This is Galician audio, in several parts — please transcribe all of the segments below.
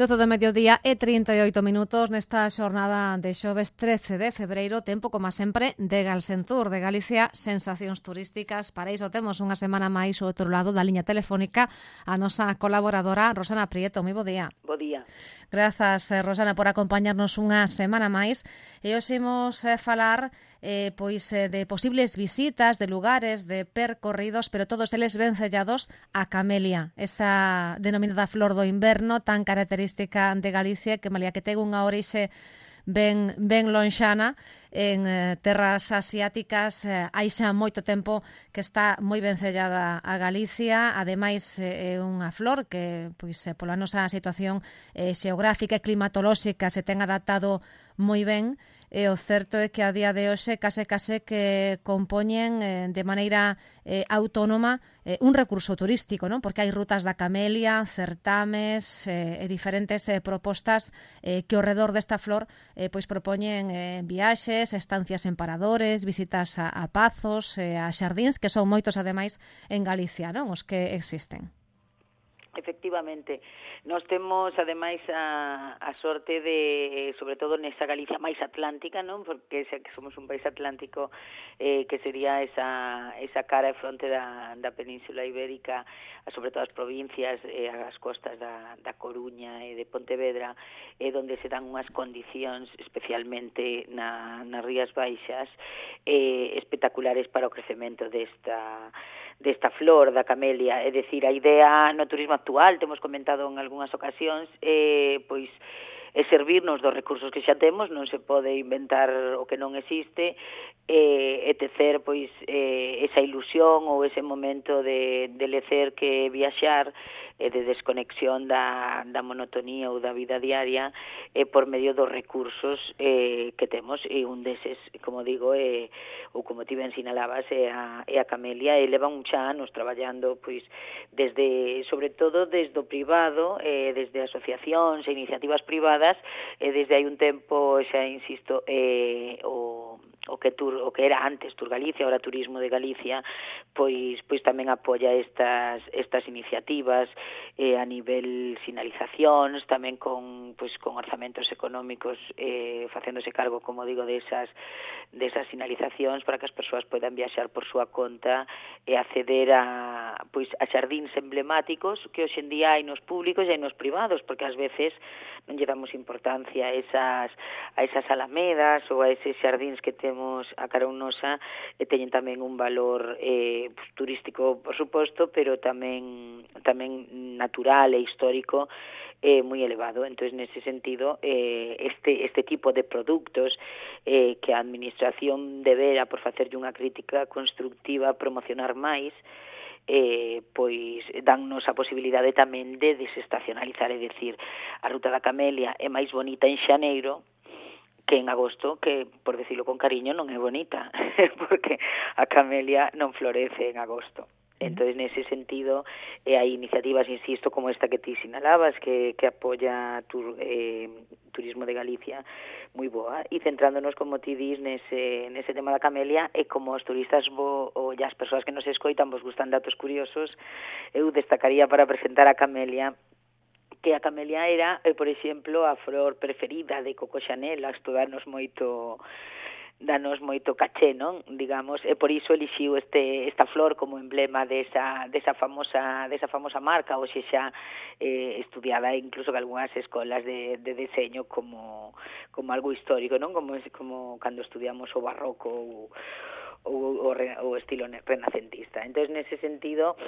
12 do mediodía e 38 minutos nesta xornada de xoves 13 de febreiro, tempo, como sempre, de Galsentur, de Galicia, sensacións turísticas. Para iso temos unha semana máis ao outro lado da liña telefónica a nosa colaboradora Rosana Prieto. Moi bo día. Bo día. Grazas, Rosana, por acompañarnos unha semana máis. E hoxe imos falar de posibles visitas, de lugares, de percorridos, pero todos eles vencellados a camelia, esa denominada flor do inverno tan característica de Galicia, que malia que ten unha orixe ben lonxana en terras asiáticas, hai xa moito tempo que está moi vencellada a Galicia. Ademais, é unha flor que, pola nosa situación xeográfica e climatolóxica, se ten adaptado moi ben. E o certo é que a día de hoxe case que compoñen de maneira autónoma un recurso turístico, non? Porque hai rutas da camelia, certames e diferentes propostas que ao redor desta flor propoñen viaxes, estancias en paradores, visitas a pazos, a xardíns, que son moitos ademais en Galicia, non? Os que existen. Efectivamente, nós temos ademais a sorte de, sobre todo nesa Galicia máis atlántica, non? Porque xa que somos un país atlántico, que sería esa cara e fronte da Península Ibérica, sobre todo as provincias, as costas da Coruña e de Pontevedra, donde se dan unhas condicións, especialmente nas Rías Baixas, espectaculares para o crecemento desta flor da camelia. É dicir, a idea no turismo actual, temos comentado en algunhas ocasións, é servirnos dos recursos que xa temos, non se pode inventar o que non existe, e tecer esa ilusión ou ese momento de lecer que viaxar, de desconexión da monotonía ou da vida diaria, por medio dos recursos que temos, e un deses, como digo, ou como ti ben sinalabas, é a camelia, e leva uns anos traballando, sobre todo desde o privado, desde asociacións e iniciativas privadas, desde hai un tempo, xa insisto, o que era antes Tour Galicia, ahora Turismo de Galicia, pois tamén apoia estas iniciativas a nivel sinalizacións, tamén con orzamentos económicos, facéndose cargo, como digo, desas sinalizacións para que as persoas poidan viaxar por súa conta e acceder a xardíns emblemáticos que hoxe en día hai nos públicos e hai nos privados, porque ás veces non lle damos importancia a esas alamedas ou a eses xardíns que temos a carón nosa, e teñen tamén un valor turístico, por suposto, pero tamén natural e histórico moi elevado. Entón, nese sentido, este tipo de produtos que a administración debera, por facerlle unha crítica constructiva, promocionar máis, dannos a posibilidade tamén de desestacionalizar, é dicir, a ruta da camelia é máis bonita en xaneiro que en agosto, que, por decirlo con cariño, non é bonita, porque a camelia non florece en agosto. Entón, nese sentido, hai iniciativas, insisto, como esta que ti sinalabas, que apoia Turismo de Galicia, moi boa, e centrándonos, como ti dis, nese tema da camelia, e como os turistas ou as persoas que nos escoitan vos gustan datos curiosos, eu destacaría para presentar a camelia, que a camelia era, por exemplo, a flor preferida de Coco Chanel. Isto danos moito caché, non? Digamos, e por iso elixiu esta flor como emblema desa famosa marca, hoxe xa estudiada incluso en algunhas escolas de deseño como algo histórico, non? Como cando estudiamos o barroco ou o estilo renacentista. Entón, nese sentido,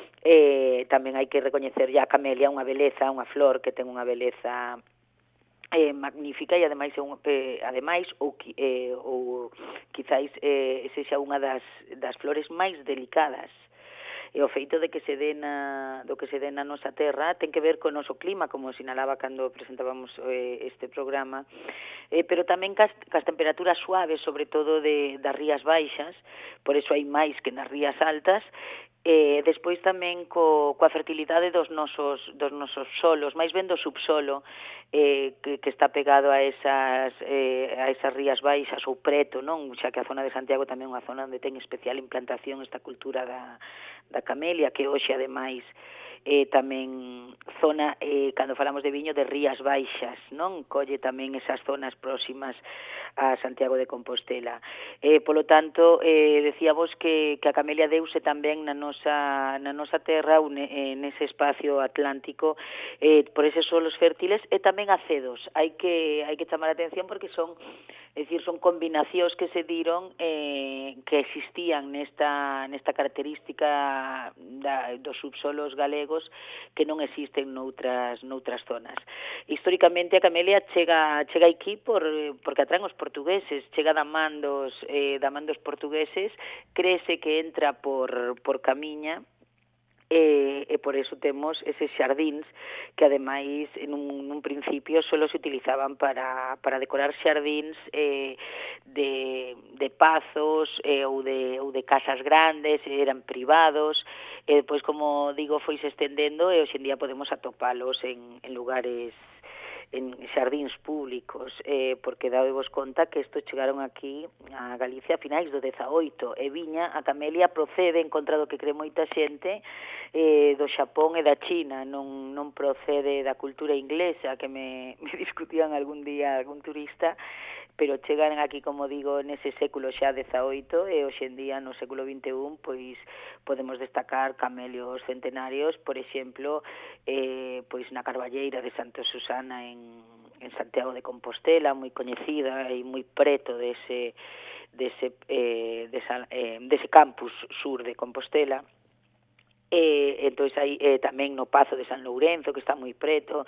tamén hai que recoñecer a camelia unha beleza, unha flor que ten unha beleza magnífica, e ademais ou quizáis sexa unha das flores máis delicadas. E o feito de que se dé na nosa terra ten que ver co noso clima, como sinalaba cando presentábamos este programa, pero tamén cas temperaturas suaves, sobre todo das rías baixas, por eso hai máis que nas rías altas. Despois tamén coa fertilidade dos nosos solos, máis ben do subsolo, que está pegado a esas rías baixas ou preto, non? Xa que a zona de Santiago tamén é unha zona onde ten especial implantación esta cultura da camelia, que hoxe ademais tamén zona, cando falamos de viño, de Rías Baixas, non? Colle tamén esas zonas próximas a Santiago de Compostela. Polo tanto, decíamos que a camelia deuse tamén na nosa terra, nese espacio atlántico, por eses solos fértiles, e tamén acedos. Hai que chamar a atención porque son combinacións que se diron que existían nesta característica dos subsolos galegos que non existen noutras zonas. Históricamente a camelia chega aquí porque atraen os portugueses, chega da man dos portugueses, créese que entra por Camiña, e por eso temos eses xardíns que ademais nun principio solo se utilizaban para decorar xardíns de pazos ou de casas grandes, eran privados, e depois, como digo, foi se estendendo e hoxe en día podemos atopalos en lugares, en xardíns públicos, porque dadevos conta que isto chegaron aquí a Galicia a finais do 18, e viña, a camelia procede, en contra do que cree moita xente, do Xapón e da China, non procede da cultura inglesa, que me discutían algún día algún turista, pero chegaron aquí, como digo, nese século xa 18, e hoxe en día no século 21 pois podemos destacar camelios centenarios, por exemplo, pois na Carballeira de Santa Susana en Santiago de Compostela, moi coñecida e moi preto dese campus sur de Compostela. Entón aí tamén no Pazo de San Lourenzo, que está moi preto.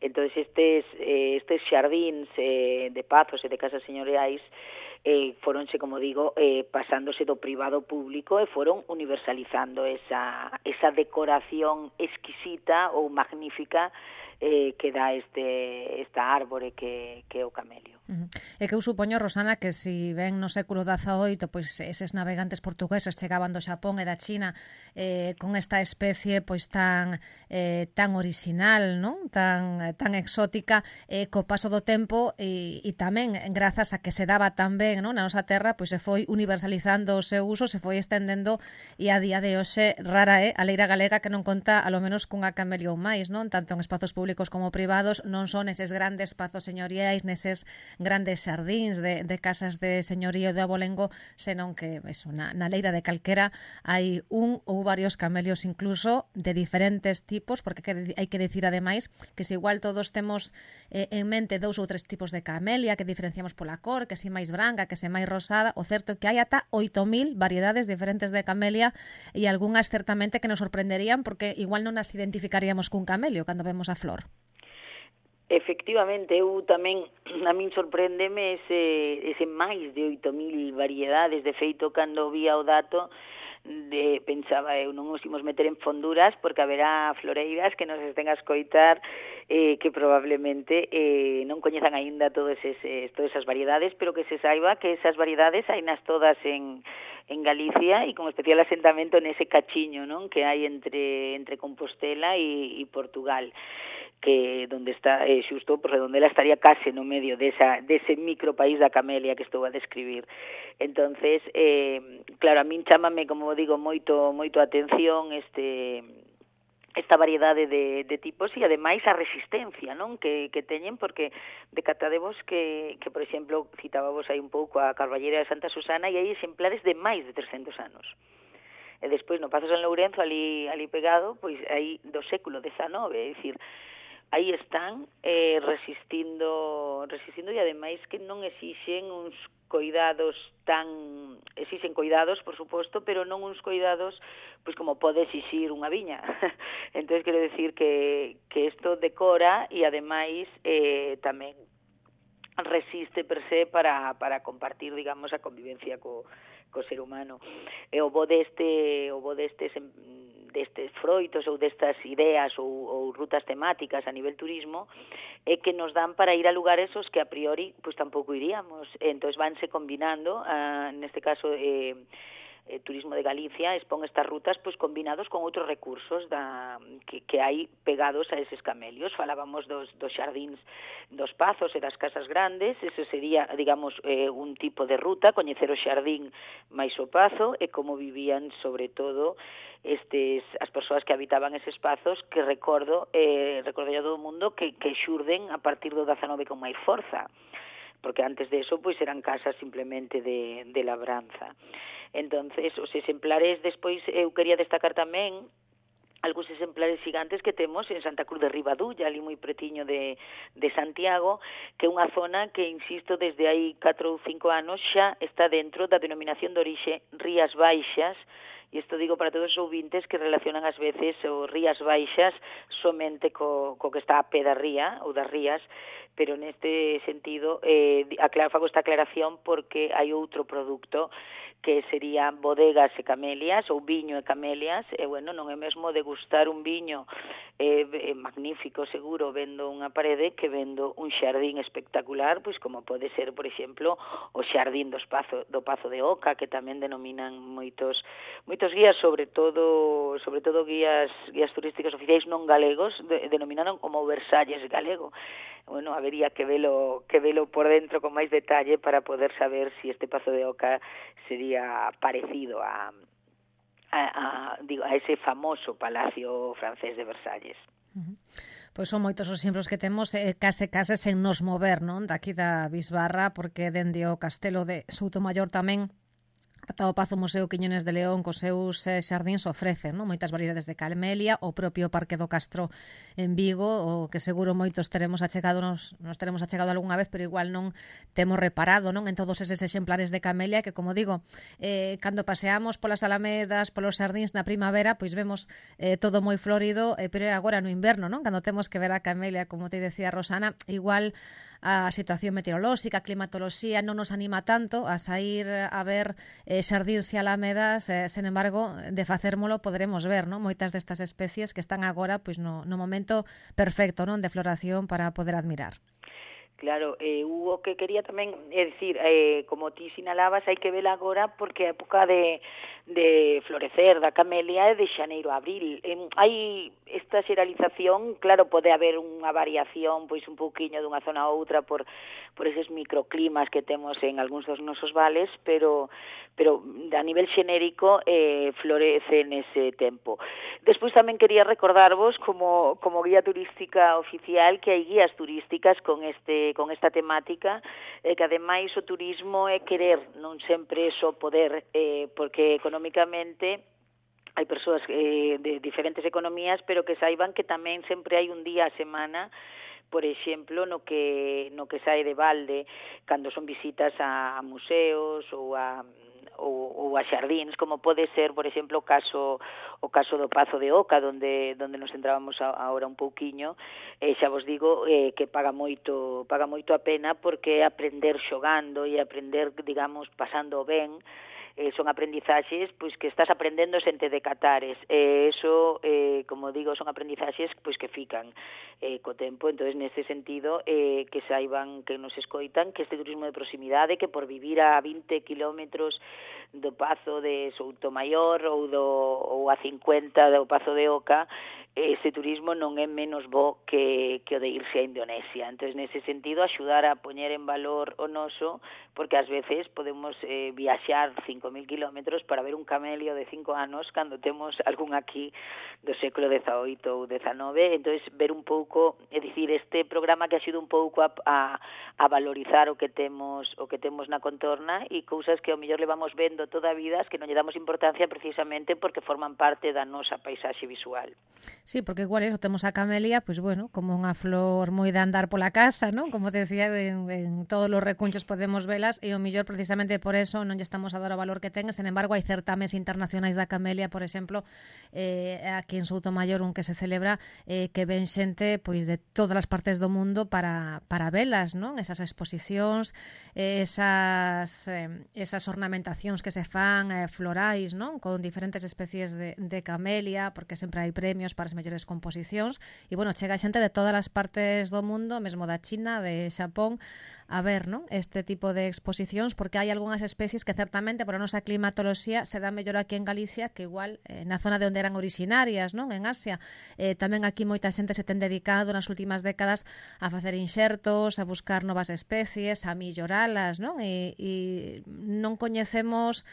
Entón estes xardíns de pazos e de casas señoriais foronse, como digo, pasándose do privado ao público e foron universalizando esa decoración exquisita ou magnífica que dá esta árbore que é o camelio. E que eu supoño, Rosana, que si ven no século XVIII, pois eses navegantes portugueses chegaban do Xapón e da China con esta especie pois tan orixinal, non? Tan exótica, co paso do tempo e tamén grazas a que se daba tan ben, non, na nosa terra, pois se foi universalizando o seu uso, se foi estendendo e a día de hoxe rara é a leira galega que non conta a lo menos cunha camelia ou máis, non? Tanto en espazos públicos como privados, non son eses grandes pazos señoriais, neses grandes xardíns de casas de señorío de abolengo, senón que eso, na leira de calquera hai un ou varios camelios incluso de diferentes tipos, porque hai que decir ademais que se igual todos temos en mente 2 ou 3 tipos de camelia que diferenciamos pola cor, que se máis branca, que se máis rosada, o certo é que hai ata 8.000 variedades diferentes de camelia e algunhas certamente que nos sorprenderían porque igual non as identificaríamos cun camelio cando vemos a flor. Efectivamente, eu tamén, a min sorpréndeme ese máis de 8.000 variedades. De feito, cando vía o dato, pensaba eu, non os imos meter en fonduras porque haberá floreiras que nos estén a escoitar que probablemente non coñezan aínda todas esas variedades, pero que se saiba que esas variedades hainas todas en Galicia e con especial asentamento nese cachiño, non, que hai entre Compostela e Portugal, que donde está xusto por Redondela estaría case no medio dese micropaís da camelia que estou a describir. Entonces, claro, a min chámame, como digo, moito a atención esta variedade de tipos e ademais a resistencia, non, que teñen, porque decatadevos que por exemplo, citábamos aí un pouco a Carballeira de Santa Susana e hai exemplares de máis de 300 anos. E despois no Pazo San Lourenzo, ali pegado, pois aí do século XIX, é dicir, aí están resistindo e ademais que non exixen uns coidados exixen coidados, por suposto, pero non uns coidados pois como pode exixir unha viña. Entonces quero decir que isto decora e ademais tamén resiste per se para compartir, digamos, a convivencia co ser humano. E o bo destes froitos ou destas ideas ou rutas temáticas a nivel turismo é que nos dan para ir a lugares os que a priori pois tampouco iríamos. Entón vanse combinando, neste caso Turismo de Galicia expón estas rutas pois combinados con outros recursos que hai pegados a eses camelios. Falábamos dos xardíns dos pazos e das casas grandes, ese sería, digamos, un tipo de ruta, coñecer o xardín máis o pazo e como vivían sobre todo as persoas que habitaban eses espazos que recordo a todo o mundo que xurden a partir do 19 con máis forza, porque antes de eso pois eran casas simplemente de labranza. Entonces, os exemplares despois eu quería destacar tamén algúns exemplares gigantes que temos en Santa Cruz de Ribadulla, ali moi pretiño de Santiago, que é unha zona que, insisto, desde hai 4 ou 5 anos xa está dentro da denominación de orixe Rías Baixas, e isto digo para todos os ouvintes que relacionan ás veces o Rías Baixas somente co que está a pé da ría ou das rías, pero neste sentido fago esta aclaración porque hai outro produto que serían bodegas e camelias, ou viño e camelias, e, bueno, non é mesmo degustar un viño magnífico, seguro, vendo unha parede, que vendo un xardín espectacular, pois como pode ser, por exemplo, o xardín do Pazo de Oca, que tamén denominan moitos guías, sobre todo guías turísticos oficiais non galegos, denominaron como Versalles galego. Bueno, habería que velo por dentro con máis detalle para poder saber si este Pazo de Oca sería parecido a ese famoso palacio francés de Versalles. Pois son moitos os exemplos que temos case sen nos mover, non? Daqui da Bisbarra, porque dende o Castelo de Soutomaior tamén ata o Pazo Museo Quiñones de León cos seus xardíns ofrecen, non? Moitas variedades de camelia, o propio Parque do Castro en Vigo, o que seguro moitos teremos achegado nos teremos achegado algunha vez, pero igual non temos reparado, non, en todos eses exemplares de camelia que, como digo, cando paseamos polas alamedas, polos xardíns na primavera, pois vemos todo moi florido, pero agora no inverno, non? Cando temos que ver a camelia, como te decía Rosana, igual a situación meteorolóxica, a climatoloxía non nos anima tanto a sair a ver xardíns e alamedas, sen embargo, de facérmolo poderemos ver, non? Moitas destas especies que están agora pois no momento perfecto, non, de floración para poder admirar. Claro, o que quería tamén é dicir, como ti sinalabas, hai que vela agora porque a época de florecer da camelia é de xaneiro a abril. Hai esta xeralización, claro, pode haber unha variación pois un pouquiño dunha zona a outra por eses microclimas que temos en algúns dos nosos vales, pero a nivel xenérico florece nese tempo. Despois tamén quería recordarvos como guía turística oficial que hai guías turísticas con esta temática, que ademais o turismo é querer, non sempre só poder, porque económicamente hai persoas de diferentes economías, pero que saiban que tamén sempre hai un día a semana, por exemplo, no que sae de balde, cando son visitas a museos ou a xardíns, como pode ser, por exemplo, o caso do Pazo de Oca, donde nos centrábamos agora un pouquiño, xa vos digo que paga moito a pena, porque é aprender xogando e aprender, digamos, pasando ben. Son aprendizaxes pois que estás aprendendo sen te decatares, eso, como digo, son aprendizaxes pois que fican co tempo. Entonces, neste sentido, que saiban, que nos escoitan, que este turismo de proximidade, que por vivir a 20 kilómetros do Pazo de Soutomaior ou a 50 do Pazo de Oca, ese turismo non é menos bo que o de irse a Indonesia. Entonces, nese sentido, axudar a poñer en valor o noso, porque ás veces podemos viaxar 5.000 kilómetros para ver un camelio de 5 anos cando temos algún aquí do século XVIII ou XIX. Entonces, ver un pouco, é dicir, este programa que axuda un pouco a valorizar o que temos na contorna e cousas que ao mellor levamos vendo toda a vida, que non lle damos importancia precisamente porque forman parte da nosa paisaxe visual. Sí, porque igual eso, temos a camelia, pois bueno, como unha flor moi de andar pola casa, non? Como te decía, en todos os recunchos podemos velas e o mellor precisamente por eso non lle estamos a dar o valor que ten. Sen embargo, hai certames internacionais da camelia, por exemplo, aquí en Soutomaior, un que se celebra, que ven xente pois de todas as partes do mundo para velas, non? Esas exposicións, esas ornamentacións que se fan florais, non? Con diferentes especies de camelia, porque sempre hai premios para as mellores composicións, e, bueno, chega xente de todas as partes do mundo, mesmo da China, de Xapón, a ver, non? Este tipo de exposicións, porque hai algunhas especies que certamente por a nosa climatoloxía se dá mellor aquí en Galicia que igual na zona de onde eran originarias, non? En Asia. Tamén aquí moita xente se ten dedicado nas últimas décadas a facer inxertos, a buscar novas especies, a melloralas, non? E non coñecemos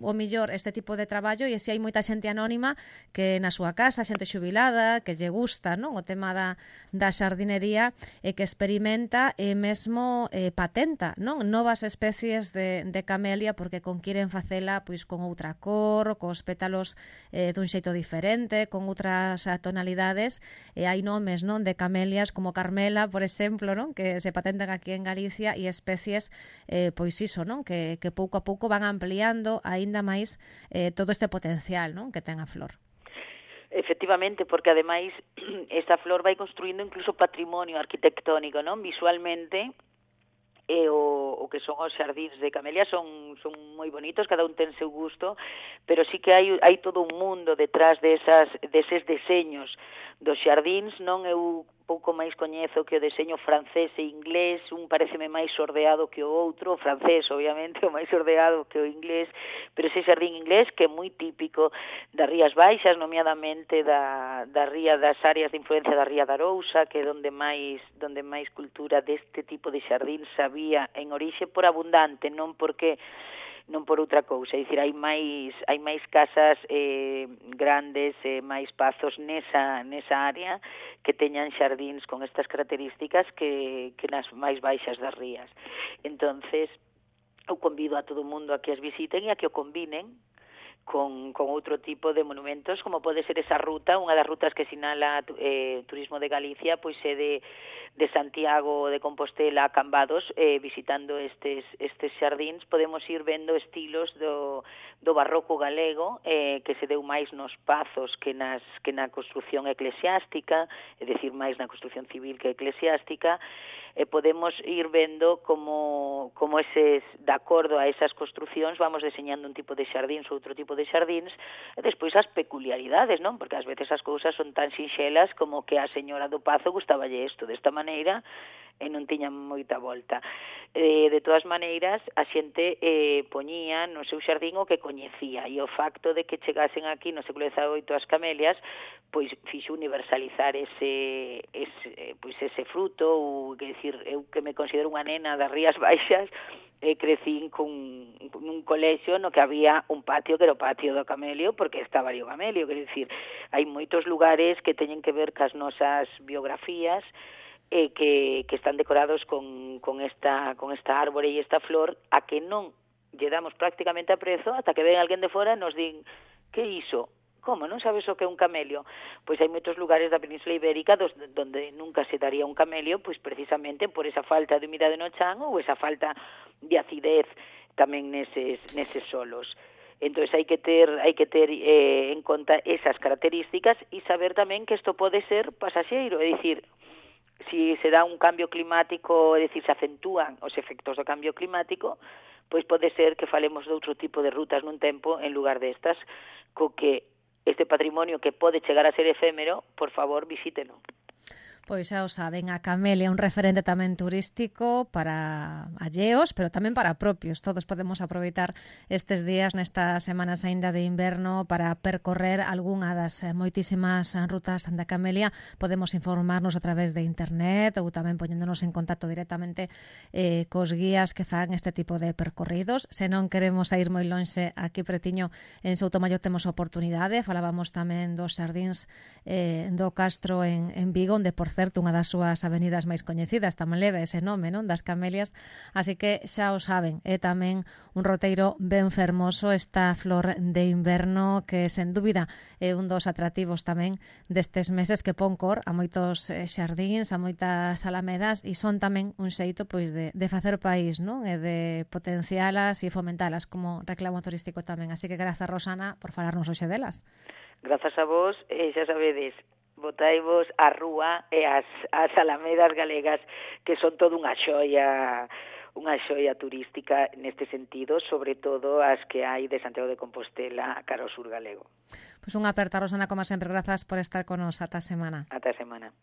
o millor este tipo de traballo, e se hai moita xente anónima que na súa casa, xente xubilada, que lle gusta, non? O tema da xardinería, e que experimenta e mesmo patenta, non? Novas especies de camelia, porque conquiren facela pois con outra cor, cos pétalos dun xeito diferente, con outras tonalidades, e hai nomes, non, de camelias como Carmela, por exemplo, non, que se patentan aquí en Galicia, e especies pois iso, non, que pouco a pouco van ampliando aínda máis todo este potencial, non, que ten a flor. Efectivamente, porque ademais esta flor vai construindo incluso patrimonio arquitectónico, non? Visualmente, o que son os xardíns de camelia son moi bonitos, cada un ten seu gusto, pero sí que hai todo un mundo detrás deses deseños dos xardíns, non? Eu pouco máis coñezo que o deseño francés e inglés, un pareceme máis sordeado que o outro, o francés, obviamente, o máis sordeado que o inglés, pero ese xardín inglés que é moi típico das Rías Baixas, nomeadamente da ría, das áreas de influencia da ría da Arousa, que é onde máis cultura deste tipo de xardín sabía en orixe por abundante, non por outra cousa, é dicir, hai máis casas grandes, máis pazos nesa área que teñan xardíns con estas características que nas máis baixas das rías. Entonces, eu convido a todo o mundo a que as visiten e a que o combinen con outro tipo de monumentos, como pode ser esa ruta, unha das rutas que sinala Turismo de Galicia, pois é de Santiago de Compostela a Cambados, visitando estes xardíns, podemos ir vendo estilos do barroco galego, que se deu máis nos pazos que na construción eclesiástica, é dicir, máis na construción civil que eclesiástica, e podemos ir vendo como eses, de acordo a esas construcións, vamos deseñando un tipo de xardíns ou outro tipo de xardíns, e despois as peculiaridades, non? Porque ás veces as cousas son tan sinxelas como que a señora do pazo gustaballe isto desta maneira e non tiña moita volta. De todas maneiras, a xente poñía no seu xardín o que coñecía, e o facto de que chegasen aquí no século XVIII as camelias, pois fixo universalizar ese fruto, ou, que decir, eu que me considero unha nena das Rías Baixas, crecín nun colexio no que había un patio que era o patio do camelio, porque estaba ali o camelio, quer dicir, hai moitos lugares que teñen que ver cas nosas biografías, que están decorados con esta árbore e esta flor, a que non lle damos prácticamente a prezo ata que ven alguén de fora e nos din, que iso? Como, non sabes o que é un camelio? Pois hai moitos lugares da Península Ibérica donde nunca se daría un camelio, pois precisamente por esa falta de humidade no chan ou esa falta de acidez tamén neses solos. Entón hai que ter en conta esas características e saber tamén que isto pode ser pasaxeiro, é dicir, si se dá un cambio climático, é dicir, se acentúan os efectos do cambio climático, pois pode ser que falemos de outro tipo de rutas nun tempo en lugar destas, co que este patrimonio que pode chegar a ser efémero, por favor, visítelo. Pois xa o saben, a camelia é un referente tamén turístico para alleos, pero tamén para propios. Todos podemos aproveitar estes días nestas semanas aínda de inverno para percorrer algunha das moitísimas rutas da camelia. Podemos informarnos a través de internet ou tamén poñéndonos en contacto directamente cos guías que fan este tipo de percorridos. Se non queremos ir moi lonxe, aquí pretiño en Soutomaior temos oportunidade. Falábamos tamén dos xardíns do Castro en Vigo, onde, por certo, unha das súas avenidas máis coñecidas tamén leva ese nome, non? Das camelias, así que xa o saben, é tamén un roteiro ben fermoso esta flor de inverno que, sen dúbida, é un dos atractivos tamén destes meses que pon cor a moitos xardíns, a moitas alamedas, e son tamén un xeito pois de facer país, non? E de potencialas e fomentalas como reclamo turístico tamén. Así que grazas, Rosana, por falarnos hoxe delas. Grazas a vos, xa sabedes, botaivos a rúa e as alamedas galegas, que son todo unha xoia turística neste sentido, sobre todo as que hai de Santiago de Compostela cara ao sur galego. Pois unha aperta, Rosana, como sempre, grazas por estar con nos. Ata a semana. Ata a semana.